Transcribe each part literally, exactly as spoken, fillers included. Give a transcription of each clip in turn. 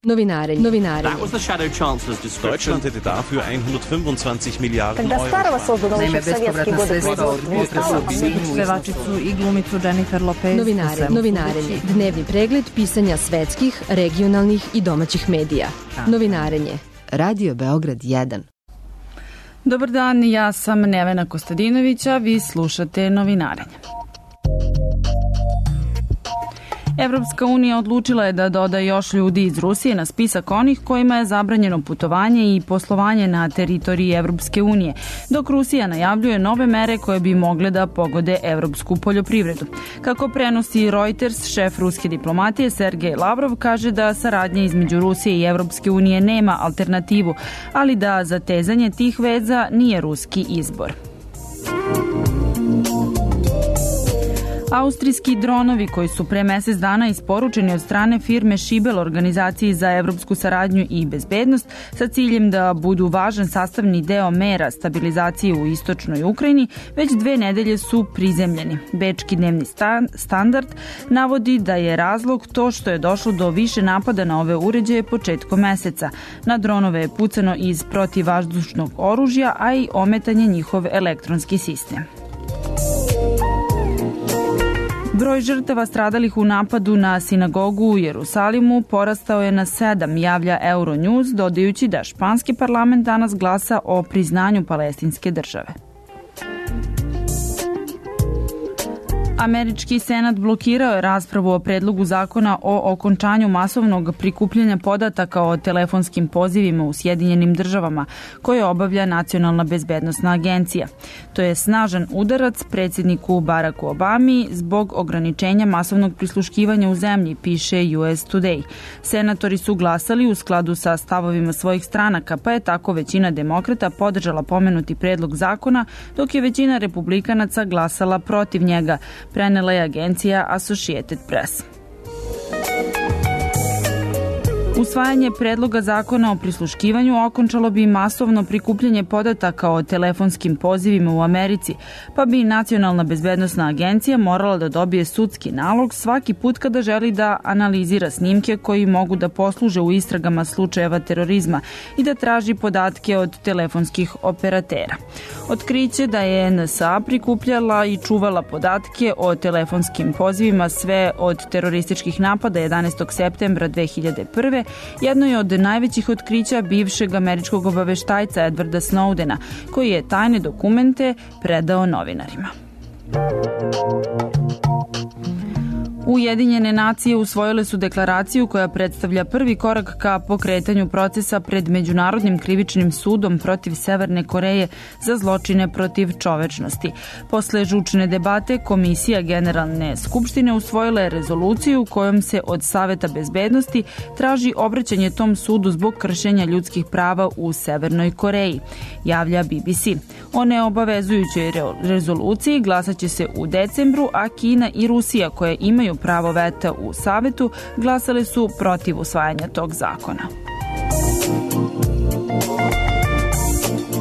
Novinarenje. Novinarenje. That was the Shadow Chancellor's description. Deutschland hätte dafür hundertfünfundzwanzig Milliarden Когда старого создано Naime, еще в советские годы производства. Pevačicu i glumicu Jennifer Lopez. Novinare, novinarenje. Dnevni pregled pisanja svetskih, regionalnih i domaćih medija. Novinarenje. Radio Beograd jedan. Dobar dan, ja sam Nevena Kostadinovića, vi slušate Novinarenje. Evropska unija odlučila je da doda još ljudi iz Rusije na spisak onih kojima je zabranjeno putovanje i poslovanje na teritoriji Evropske unije, dok Rusija najavljuje nove mere koje bi mogle da pogode evropsku poljoprivredu. Kako prenosi Reuters, šef ruske diplomatije Sergej Lavrov kaže da saradnja između Rusije i Evropske unije nema alternativu, ali da zatezanje tih veza nije ruski izbor. Austrijski dronovi koji su pre mesec dana isporučeni od strane firme Šibel organizaciji za evropsku saradnju i bezbednost sa ciljem da budu važan sastavni deo mera stabilizacije u istočnoj Ukrajini, već dve nedelje su prizemljeni. Bečki dnevni standard navodi da je razlog to što je došlo do više napada na ove uređaje početkom meseca. Na dronove je pucano iz protivvazdušnog oružja, a i ometan je njihov elektronski sistem. Broj žrtava stradalih u napadu na sinagogu u Jerusalimu porastao je na sedam, javlja Euronews, dodajući da španski parlament danas glasa o priznanju palestinske države. Američki senat blokirao je raspravu o predlogu zakona o okončanju masovnog prikupljanja podataka o telefonskim pozivima u Sjedinjenim državama, koje obavlja Nacionalna bezbednosna agencija. To je snažan udarac predsjedniku Baracku Obami zbog ograničenja masovnog prisluškivanja u zemlji, piše U S Today. Senatori su glasali u skladu sa stavovima svojih stranaka, pa je tako većina demokrata podržala pomenuti predlog zakona, dok je većina republikanaca glasala protiv njega, prenela je agencija Associated Press. Usvajanje predloga zakona o prisluškivanju okončalo bi masovno prikupljanje podataka o telefonskim pozivima u Americi, pa bi Nacionalna bezbednosna agencija morala da dobije sudski nalog svaki put kada želi da analizira snimke koji mogu da posluže u istragama slučajeva terorizma i da traži podatke od telefonskih operatera. Otkriće da je N S A prikupljala i čuvala podatke o telefonskim pozivima sve od terorističkih napada jedanaestog septembra dve hiljade prve. Jedno je od najvećih otkrića bivšeg američkog obaveštajca Edwarda Snowdena, koji je tajne dokumente predao novinarima. Ujedinjene nacije usvojile su deklaraciju koja predstavlja prvi korak ka pokretanju procesa pred Međunarodnim krivičnim sudom protiv Severne Koreje za zločine protiv čovečnosti. Posle žučne debate, Komisija Generalne skupštine usvojila je rezoluciju kojom se od Saveta bezbednosti traži obraćanje tom sudu zbog kršenja ljudskih prava u Severnoj Koreji, javlja B B C. O neobavezujućoj rezoluciji glasaće se u decembru, a Kina i Rusija, koje imaju pravo veta u Savetu, glasale su protiv usvajanja tog zakona.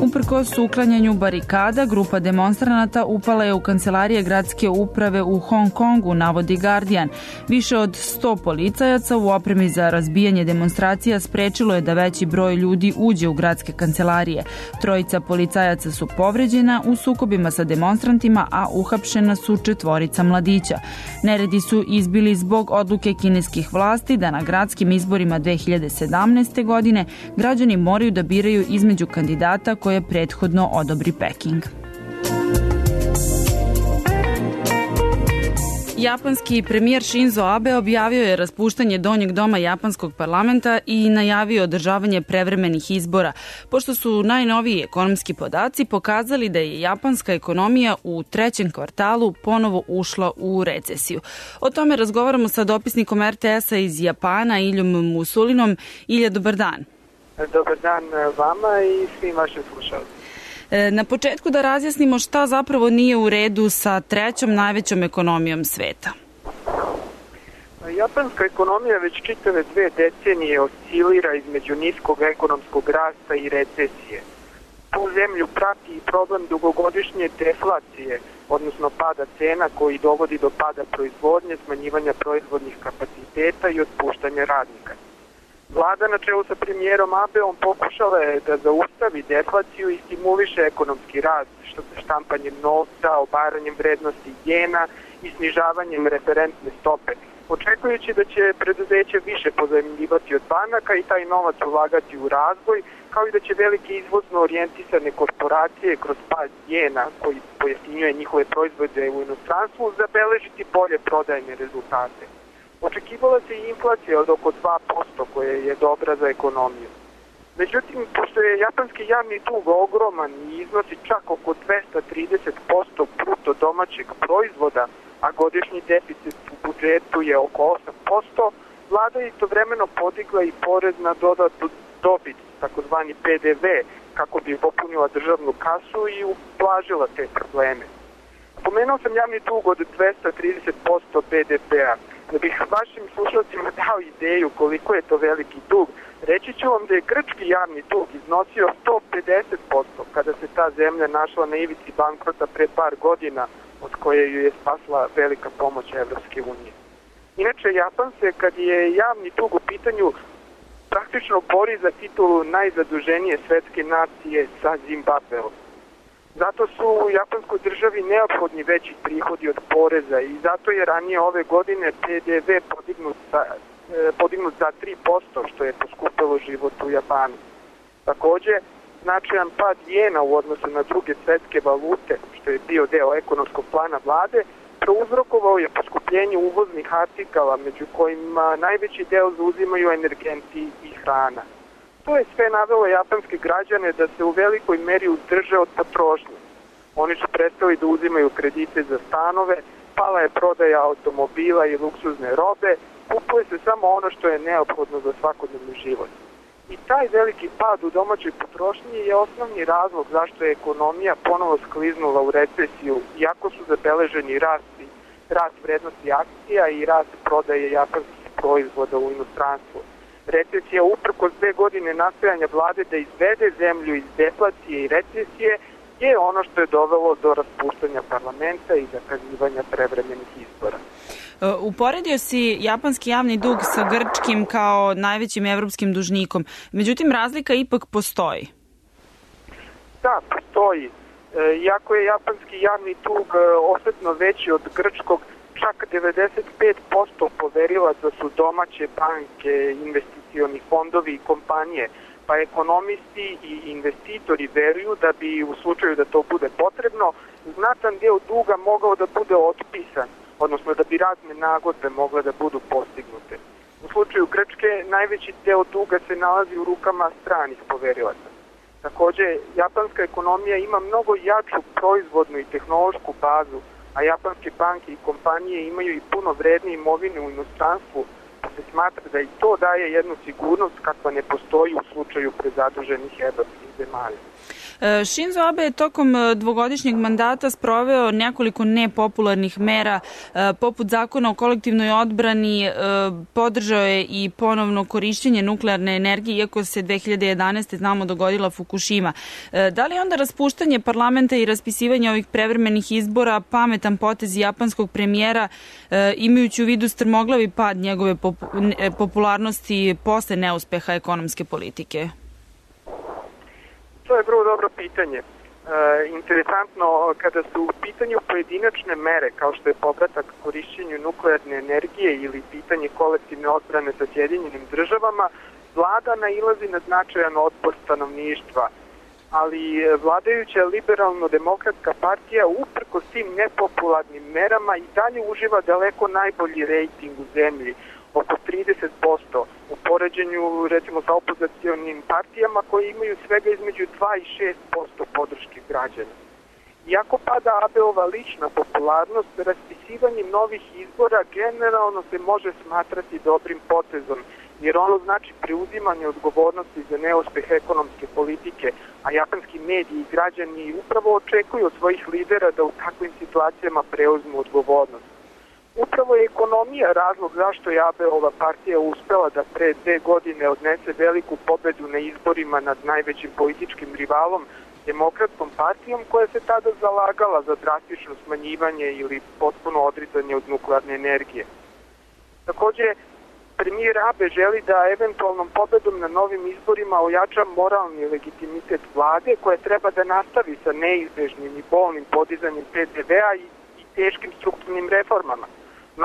Uprkos uklanjanju barikada, grupa demonstranata upala je u kancelarije gradske uprave u Hong Kongu, navodi Guardian. Više od sto policajaca u opremi za razbijanje demonstracija sprečilo je da veći broj ljudi uđe u gradske kancelarije. Trojica policajaca su povređena u sukobima sa demonstrantima, a uhapšena su četvorica mladića. Neredi su izbili zbog odluke kineskih vlasti da na gradskim izborima dve hiljade sedamnaeste. godine građani moraju da biraju između kandidata koje prethodno odobri Peking. Japanski premijer Shinzo Abe objavio je raspuštanje donjeg doma japanskog parlamenta i najavio održavanje prevremenih izbora, pošto su najnoviji ekonomski podaci pokazali da je japanska ekonomija u trećem kvartalu ponovo ušla u recesiju. O tome razgovaramo sa dopisnikom R T S-a iz Japana, Iljom Musulinom. Ilja, dobar dan. Dobar dan vama i svim vašim slušalcima. Na početku da razjasnimo šta zapravo nije u redu sa trećom najvećom ekonomijom sveta. Japanska ekonomija već čitave dve decenije oscilira između niskog ekonomskog rasta i recesije. Tu zemlju prati i problem dugogodišnje deflacije, odnosno pada cena koji dovodi do pada proizvodnje, smanjivanja proizvodnih kapaciteta i otpuštanja radnika. Vlada na čelu sa premijerom Abeom pokušala je da zaustavi deflaciju i stimuliše ekonomski rast, što se štampanjem novca, obaranjem vrednosti jena i snižavanjem referentne stope, očekujući da će preduzeće više pozajmljivati od banaka i taj novac ulagati u razvoj, kao i da će velike izvozno orijentisane korporacije kroz pad jena, koji pojeftinjuje njihove proizvode u inostranstvu, zabeležiti bolje prodajne rezultate. Očekivala se i inflacija od oko dva posto, koja je dobra za ekonomiju. Međutim, pošto je japanski javni dug ogroman i iznosi čak oko dvesta trideset posto bruto domaćeg proizvoda, a godišnji deficit u budžetu je oko osam posto, vlada je istovremeno podigla i porez na dodatu dobit, takozvani P D V, kako bi popunila državnu kasu i ublažila te probleme. Spomenuo sam javni dug od dvesta trideset posto B D P-a. Da bih vašim slušalcima dao ideju koliko je to veliki dug, reći ću vam da je grčki javni dug iznosio sto pedeset posto kada se ta zemlja našla na ivici bankrota pre par godina, od koje ju je spasla velika pomoć Evropske unije. Inače, Japan se, kad je javni dug u pitanju, praktično bori za titulu najzaduženije svetske nacije sa Zimbabveom. Zato su u japanskoj državi neophodni veći prihodi od poreza i zato je ranije ove godine P D V podignut za, podignut za tri posto, što je poskupilo život u Japanu. Takođe, značajan pad jena u odnosu na druge svetske valute, što je bio deo ekonomskog plana vlade, prouzrokovao je poskupljenje uvoznih artikala, među kojima najveći deo zauzimaju energenti i hrana. To je sve navelo japanske građane da se u velikoj meri uzdrže od potrošnje. Oni su prestali da uzimaju kredite za stanove, pala je prodaja automobila i luksuzne robe, kupuje se samo ono što je neophodno za svakodnevni život. I taj veliki pad u domaćoj potrošnji je osnovni razlog zašto je ekonomija ponovo skliznula u recesiju, iako su zabeleženi rast, rast vrednosti akcija i rast prodaje japanskih proizvoda u inostranstvu. Recesija, uprkos dve godine nastojanja vlade da izvede zemlju iz deflacije i recesije, je ono što je dovelo do raspuštanja parlamenta i zakazivanja prevremenih izbora. Uporedio si japanski javni dug sa grčkim kao najvećim evropskim dužnikom. Međutim, razlika ipak postoji. Da, postoji. Iako je japanski javni dug osetno veći od grčkog, čak devedeset pet posto poverilaca su domaće banke, investicioni fondovi i kompanije, pa ekonomisti i investitori veruju da bi u slučaju da to bude potrebno, znatan deo duga mogao da bude otpisan, odnosno da bi razne nagodbe mogle da budu postignute. U slučaju Grčke najveći deo duga se nalazi u rukama stranih poverilaca. Takođe, japanska ekonomija ima mnogo jaču proizvodnu i tehnološku bazu, a japanske banke i kompanije imaju i puno vredne imovine u inostranstvu, pa se smatra da i to daje jednu sigurnost kakva ne postoji u slučaju prezaduženih evropskih zemalja. Shinzo Abe je tokom dvogodišnjeg mandata sproveo nekoliko nepopularnih mera, poput zakona o kolektivnoj odbrani, podržao je i ponovno korišćenje nuklearne energije, iako se dve hiljade jedanaeste. znamo dogodila Fukushima. Da li onda raspuštanje parlamenta i raspisivanje ovih prevremenih izbora pametan potez japanskog premijera, imajući u vidu strmoglavi pad njegove popularnosti posle neuspeha ekonomske politike? To je vrlo dobro pitanje. E, interesantno, kada su u pitanju pojedinačne mere, kao što je povratak korišćenju nuklearne energije ili pitanje kolektivne odbrane sa Sjedinjenim državama, vlada nailazi na značajan otpor stanovništva. Ali vladajuća liberalno-demokratska partija uprkos tim nepopularnim merama i dalje uživa daleko najbolji rejting u zemlji, oko trideset posto, u poređenju recimo sa opozicionim partijama koji imaju svega između dva i šest posto podrške građana. Iako pada Abeova lična popularnost, raspisivanjem novih izbora generalno se može smatrati dobrim potezom, jer ono znači preuzimanje odgovornosti za neuspeh ekonomske politike, a japanski mediji i građani upravo očekuju od svojih lidera da u takvim situacijama preuzmu odgovornost. Upravo je ekonomija razlog zašto je Abeova partija uspela da pre dve godine odnese veliku pobedu na izborima nad najvećim političkim rivalom, Demokratskom partijom, koja se tada zalagala za drastično smanjivanje ili potpuno odricanje od nuklearne energije. Takođe, Premijer Abe želi da eventualnom pobedom na novim izborima ojača moralni legitimitet vlade koja treba da nastavi sa neizbežnim i bolnim podizanjem P D V-a i, i teškim strukturnim reformama.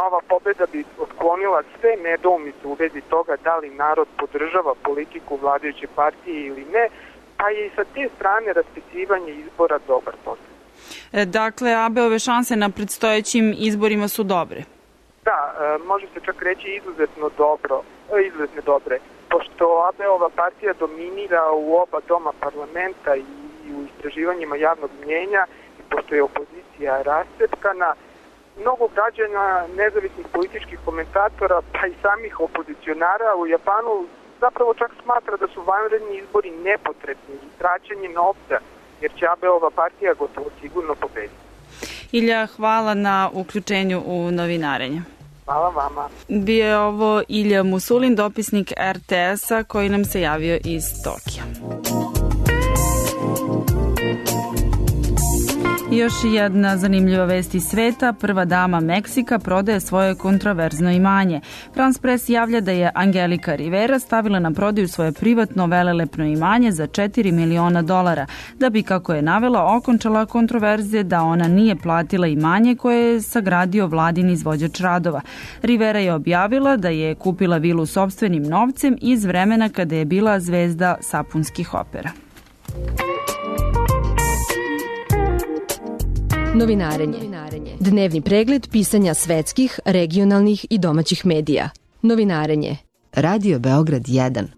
Nova pobeda bi otklonila sve nedoumice u vezi toga da li narod podržava politiku vladajuće partije ili ne, pa je i sa te strane raspisivanje izbora dobar posao. E, dakle, Abeove šanse na predstojećim izborima su dobre. Da, može se čak reći izuzetno dobro, izuzetno dobre, pošto Abeova partija dominira u oba doma parlamenta i u istraživanjima javnog mnjenja i pošto je opozicija rascepkana, mnogo građana, nezavisnih političkih komentatora, pa i samih opozicionara u Japanu zapravo čak smatra da su vanredni izbori nepotrebni i traćenje novca, jer će Abeova partija gotovo sigurno pobediti. Ilja, hvala na uključenju u novinarenje. Hvala vama. Bio je ovo Ilja Musulin, dopisnik R T S-a koji nam se javio iz Tokija. Još jedna zanimljiva vest iz sveta. Prva dama Meksika prodaje svoje kontroverzno imanje. France Press javlja da je Angelika Rivera stavila na prodaju svoje privatno velelepno imanje za četiri miliona dolara, da bi, kako je navela, okončala kontroverze da ona nije platila imanje koje je sagradio vladin izvođač radova. Rivera je objavila da je kupila vilu sopstvenim novcem iz vremena kada je bila zvezda sapunskih opera. Novinarenje. Dnevni pregled pisanja svetskih, regionalnih i domaćih medija. Novinarenje. Radio Beograd jedan.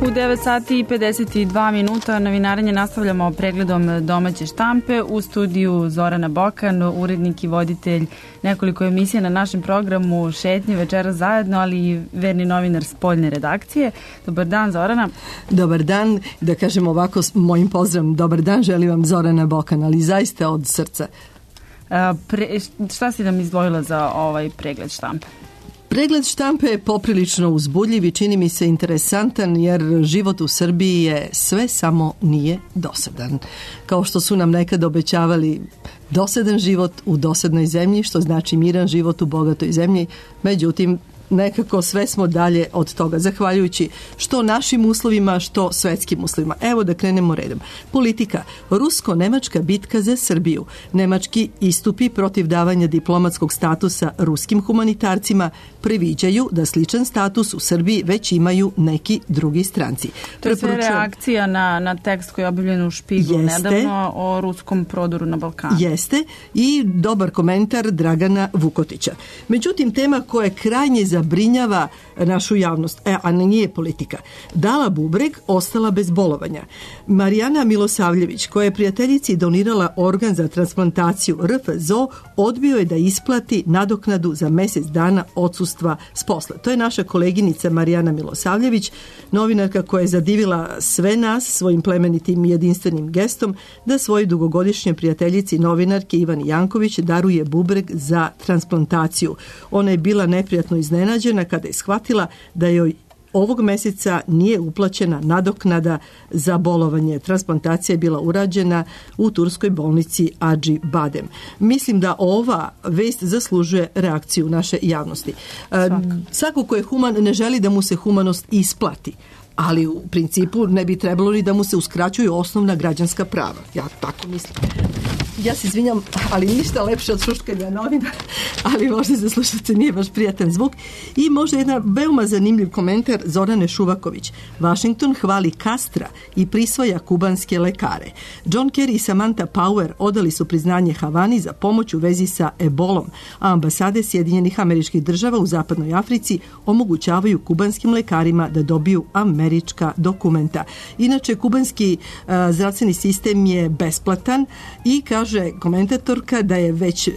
U devet sati i pedeset dva minuta novinarenje nastavljamo pregledom domaće štampe. U studiju Zorana Bokan, urednik i voditelj nekoliko emisija na našem programu Šetnje večeras zajedno, ali i verni novinar spoljne redakcije. Dobar dan, Zorana. Dobar dan, da kažem ovako s mojim pozdravom, dobar dan, želim vam Zorana Bokan, ali zaista od srca. A, pre, šta si nam izdvojila za ovaj pregled štampe? Pregled štampe je poprilično uzbudljiv i čini mi se interesantan jer život u Srbiji je sve samo nije dosadan. Kao što su nam nekad obećavali dosadan život u dosadnoj zemlji, što znači miran život u bogatoj zemlji, međutim nekako sve smo dalje od toga, zahvaljujući što našim uslovima, što svetskim uslovima. Evo da krenemo redom. Politika. Rusko-nemačka bitka za Srbiju. Nemački istupi protiv davanja diplomatskog statusa ruskim humanitarcima previđaju da sličan status u Srbiji već imaju neki drugi stranci. To je sve reakcija na, na tekst koji je objavljen u Špiglu nedavno o ruskom prodoru na Balkanu. Jeste. I dobar komentar Dragana Vukotića. Međutim, tema koja je krajnje zabrinjava našu javnost, e, a nije politika. Dala bubreg, ostala bez bolovanja. Marijana Milosavljević, koja je prijateljici donirala organ za transplantaciju R F Z O, odbio je da isplati nadoknadu za mjesec dana odsustva s posla. To je naša koleginica Marijana Milosavljević, novinarka koja je zadivila sve nas svojim plemenitim i jedinstvenim gestom da svojoj dugogodišnjoj prijateljici novinarke Ivani Janković daruje bubreg za transplantaciju. Ona je bila neprijatno iznenađena kada je shvatila da joj ovog mjeseca nije uplaćena nadoknada za bolovanje. Transplantacija je bila urađena u turskoj bolnici Adži Badem. Mislim da ova vest zaslužuje reakciju naše javnosti. Svaka. Svako ko je human ne želi da mu se humanost isplati, ali u principu ne bi trebalo ni da mu se uskraćuju osnovna građanska prava. Ja tako mislim. Ja se izvinjam, ali ništa lepše od šuškanja novina, ali možda za slušalce nije baš prijatan zvuk. I možda jedan veoma zanimljiv komentar Zorane Šuvaković. Washington hvali Castra i prisvaja kubanske lekare. John Kerry i Samantha Power odali su priznanje Havani za pomoć u vezi sa ebolom, a ambasade Sjedinjenih Američkih Država u Zapadnoj Africi omogućavaju kubanskim lekarima da dobiju američka dokumenta. Inače, kubanski uh, zdravstveni sistem je besplatan i kaže komentatorka da je već e,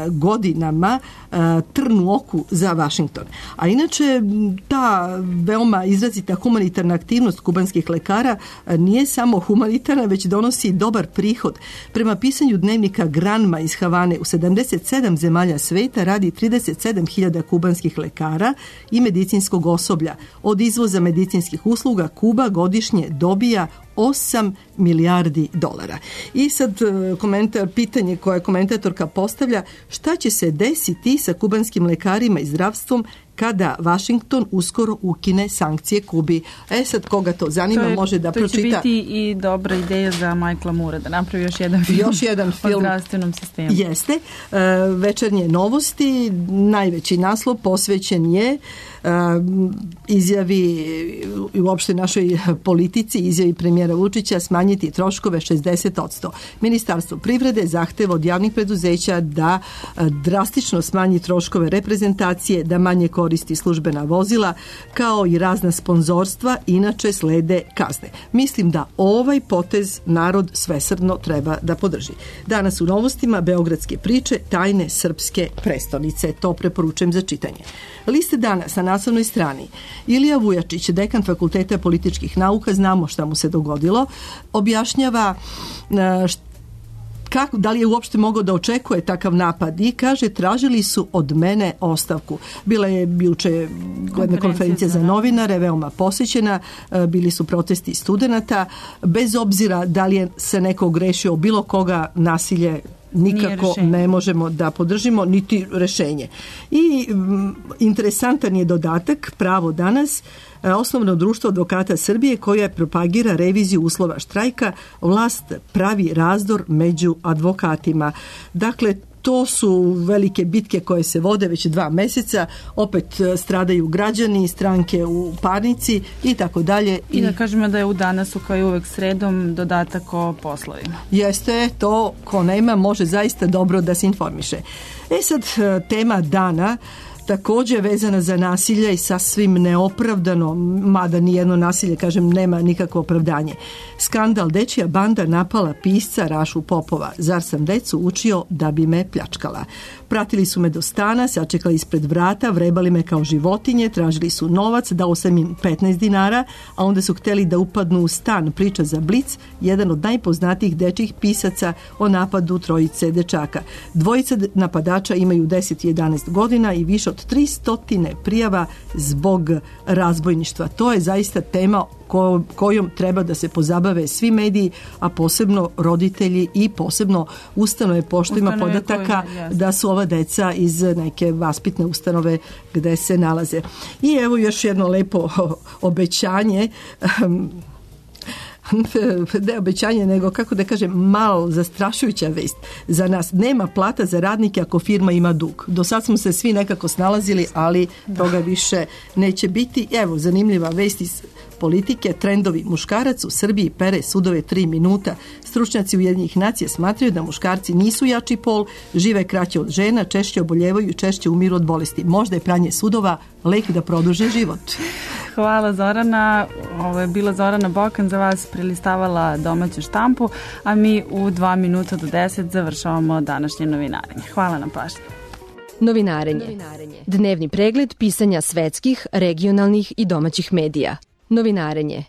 godinama e, trn u oku za Washington. A inače, ta veoma izrazita humanitarna aktivnost kubanskih lekara e, nije samo humanitarna, već donosi dobar prihod. Prema pisanju dnevnika Granma iz Havane, u sedamdeset sedam zemalja sveta radi trideset sedam hiljada kubanskih lekara i medicinskog osoblja. Od izvoza medicinskih usluga Kuba godišnje dobija osam milijardi dolara. I sad komentar, pitanje koje komentatorka postavlja, šta će se desiti sa kubanskim lekarima i zdravstvom kada Vašington uskoro ukine sankcije Kubi. E sad, koga to zanima, to je, može da to pročita. To će biti i dobra ideja za Michaela Moore da napravi još jedan film, još jedan film o zdravstvenom sistemu. Jeste. E, večernje novosti, najveći naslov posvećen je e, izjavi i uopšte našoj politici, izjavi premijera Vučića smanjiti troškove šezdeset posto. Ministarstvo privrede zahteva od javnih preduzeća da drastično smanji troškove reprezentacije, da manje koristi službena vozila, kao i razna sponzorstva, inače slede kazne. Mislim da ovaj potez narod svesrdno treba da podrži. Danas u novostima beogradske priče tajne srpske prestonice. To preporučujem za čitanje. Liste danas na naslovnoj strani. Ilija Vujačić, dekan Fakulteta političkih nauka, znamo šta mu se dogodilo, objašnjava što Kako, da li je uopšte mogao da očekuje takav napad i kaže tražili su od mene ostavku. Bila je juče jedna konferencija za novinare, veoma posjećena, bili su protesti studenata, bez obzira da li je se neko ogrešio bilo koga, nasilje nikako ne možemo da podržimo, niti rešenje. I m, interesantan je dodatak, Pravo danas, osnovno društvo advokata Srbije koja propagira reviziju uslova štrajka, vlast pravi razdor među advokatima. Dakle, to su velike bitke koje se vode već dva meseca, opet stradaju građani, stranke u parnici i tako dalje. I da kažemo da je u danasu kao i uvek sredom dodatak o poslovima. Jeste, to ko nema može zaista dobro da se informiše. E sad, tema dana također vezana za nasilje i sasvim neopravdano, mada nijedno nasilje, kažem, nema nikakvo opravdanje. Skandal, dečija banda napala pisca Rašu Popova. Zar sam decu učio da bi me pljačkala? Pratili su me do stana, sačekali ispred vrata, vrebali me kao životinje, tražili su novac, dao sam im petnaest dinara, a onda su hteli da upadnu u stan. Priča za Blic, jedan od najpoznatijih dečjih pisaca o napadu trojice dečaka. Dvojica napadača imaju deset i jedanaest godina i više od tristo prijava zbog razbojništva. To je zaista tema ko, kojom treba da se pozabave svi mediji, a posebno roditelji i posebno ustanove, pošto ima podataka koje, da su ova deca iz neke vaspitne ustanove gde se nalaze. I evo još jedno lepo obećanje, ne obećanje, nego kako da kažem, malo zastrašujuća vest za nas. Nema plata za radnike ako firma ima dug. Do sad smo se svi nekako snalazili, ali toga više neće biti. Evo, zanimljiva vest iz politike, trendovi. Muškarac u Srbiji pere sudove tri minuta. Stručnjaci Ujedinjenih nacija smatraju da muškarci nisu jači pol, žive kraće od žena, češće oboljevaju i češće umiru od bolesti. Možda je pranje sudova lek da produže život. Hvala Zorana. Ovo je bila Zorana Bokan za vas, prelistavala domaću štampu, a mi u dva minuta do deset završavamo današnje novinarenje. Hvala na pažnji. Novinarenje. Dnevni pregled pisanja svetskih, regionalnih i domaćih medija. Novinarenje.